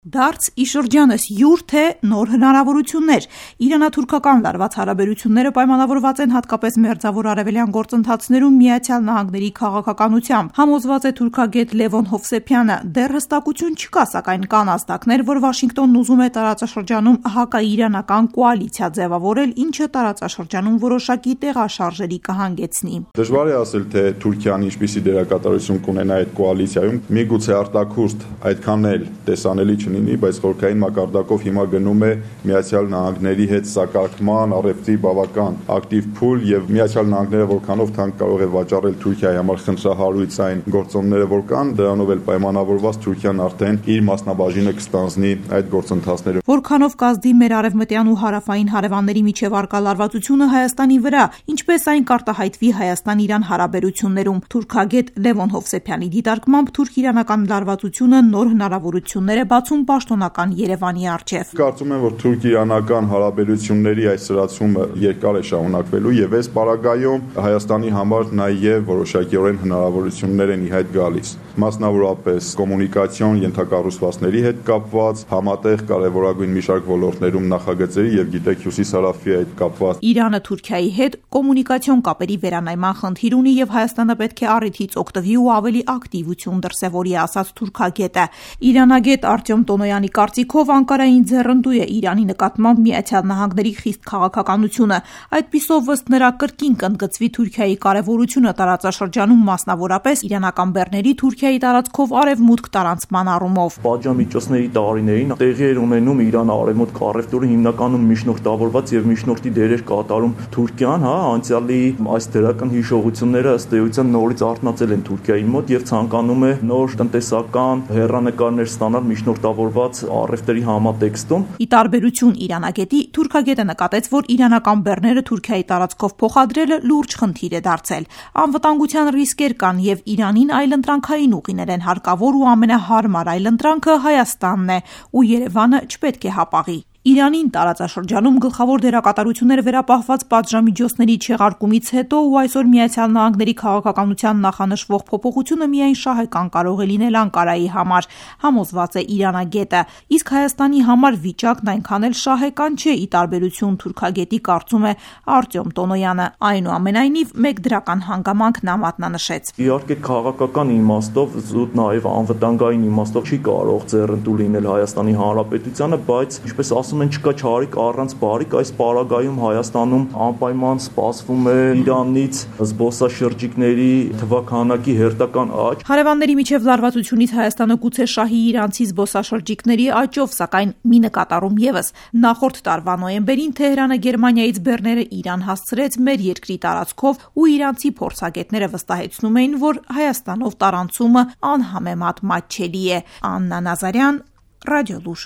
Դարձ ի շրջանս յուր թե նոր հնարավորություններ։ Իրանա-թուրքական լարված հարաբերությունները պայմանավորված են հատկապես մերձավոր արևելյան գործընթացներում Միացյալ Նահանգների քաղաքականությամբ, համոզված է թուրքագետ Լևոն Հովսեփյանը։ Դեռ հստակություն չկա, սակայն կան ազդակներ, որ Վաշինգտոնն ուզում է տարածաշրջանում հակաիրանական կոալիցիա ձևավորել, ինչը տարածաշրջանում որոշակի տեղաշարժերի կհանգեցնի։ Դժվար է ասել, թե Թուրքիան ինչպիսի դերակատարություն կունենա այդ կոալիցիայում, միգուցե արտաքուստ այդքան էլ տեսանելի չլինի, բայց խորհրդային մակարդակով հիմա գնում է Միացյալ Նահանգների հետ սակարկման առևտրի բավական ակտիվ փուլ եւ Միացյալ Նահանգները որքանով թանկ կարող է վաճառել Թուրքիայի համար խնդրահարույց այն գործոնները, որ կան, դրանով էլ պայմանավորված Թուրքիան արդեն իր մասնաբաժինը կստանձնի այդ գործընթացներում։ Որքանով կազդի մեր արևմտյան ու հարավային հարևանների միջև արկա լարվածությունը Հայաստանի վրա, ինչպես այն կարտահայտվի Հայաստան-Իրան հարաբերություններում։ Թուրքագետ Լևոն Հովսեփյանի դիտարկմամբ թուրք-իրանական լարվածությունը նոր հնարավորություններ է բացում պաշտոնական Երևանի առջև։ Կարծում եմ, որ թուրք-իրանական հարաբերությունների այս սրացումը երկար է շարունակվելու եւ այս պարագայում Հայաստանի համար նաեւ որոշակիորեն հնարավորություններ են ի հայտ գալիս, մասնավորապես կոմունիկացիոն ենթակառուցվածքների հետ կապված, համատեղ կարևորագույն մի շարք ոլորտներում նախագծերի եւ գիտեք Հյուսիսարավի հետ կապված։ Իրանը Թուրքիայի հետ կոմունիկացիոն կապերի վերանայման խնդիր ունի եւ Հայաստանը պետք է առիթից օգտվի ու ավելի ակտիվություն դրսեւորի, ասաց թուրքագետը։ Իրանագետ Արտյոմ Տոնոյանի կարծիքով Անկարային ձեռնտու է Իրանի նկատմամբ Միացյալ Նահանգների խիստ քաղաքականությունը։ Այդպիսով ըստ նրա կրկին կընդգծվի Թուրքիայի կարևորությունը տարածաշրջանում, մասնավորապես իրանական բեռների Թուրքիայի տարածքով արևմուտք տարանցման առումով։ Պատժամիջոցների տարիներին տեղի էր ունենում Իրանը արևմուտք առևտուրը հիմնականում միջնորդավորված եւ միջնորդի դեր էր կատարում Թուրքիան, անցյալի այս դրական հիշողությունները ըստ էության նորից արթնացել են Թուրքիայի մոտ եւ ցանկանում է նոր տնտեսական հեռանկարներ ստանալ միջնորդավորված առևտրի համատեքստում։ Ի տարբերություն իրանագետի, թուրքագետը նկատեց, որ իրանական բեռները Թուրքիայի տարածքով փոխադրելը լուրջ խնդիր է դարձել։ Անվտանգության ռիսկեր կան եւ Իրանին այլընտրանքային ուղիներ են հարկավոր ու ամենահարմար այլընտրանքը Հայաստանն է, ու Երևանը չպետք է հապաղի։ Իրանին տարածաշրջանում գլխավոր դերակատարությունները վերապահված պատժամիջոցների չեղարկումից հետո ու այսօր Միացյալ Նահանգների քաղաքականության նախանշվող փոփոխությունը միայն շահեկան կարող է լինել Անկարայի համար, համոզված է իրանագետը, իսկ Հայաստանի համար վիճակն այնքան էլ շահեկան չէ, ի տարբերություն թուրքագետի, կարծում է Արտյոմ Տոնոյանը։ Այնուամենայնիվ, մեկ դրական հանգամանք նա մատնանշեց։ Իհարկե քաղաքական իմաստով, զուտ նաև անվտանգային իմաստով չի կարող ձեռնտու լինել Հայաստանի Հանրապետությանը, բայց ինչպես ասում են, չկա չարիք առանց բարիք, այս պարագայում Հայաստանում անպայման սպասվում է Իրանից զբոսաշրջիկների թվաքանակի հերթական աճ։ Հարևանների միջև լարվածությունից Հայաստանը գուցե շահի իրանցի զբոսաշրջիկների աճով, սակայն մի նկատառում եւս։ Նախորդ տարվա նոյեմբերին Թեհրանը Գերմանիայից բեռները Իրան հասցրեց մեր երկրի տարածքով ու իրանցի փորձագետները վստահեցնում էին, որ Հայաստանով տարանցումը անհամեմատ մատչելի է։ Աննա Նազարյան, Ռադիոլուր։